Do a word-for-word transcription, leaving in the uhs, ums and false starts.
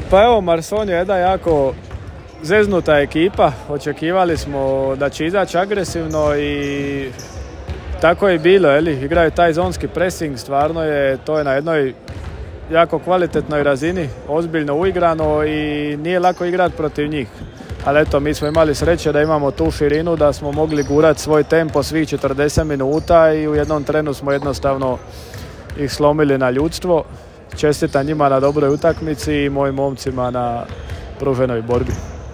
Pa evo, Marson je jedna jako zeznuta ekipa. Očekivali smo da će izaći agresivno i tako je bilo, eli? Igraju taj zonski pressing, stvarno je to je na jednoj jako kvalitetnoj razini, ozbiljno uigrano i nije lako igrati protiv njih. Ali eto, mi smo imali sreće da imamo tu širinu, da smo mogli gurati svoj tempo svih četrdeset minuta i u jednom trenu smo jednostavno ih slomili na ljudstvo. Čestitam njima na dobroj utakmici i mojim momcima na pruženoj borbi.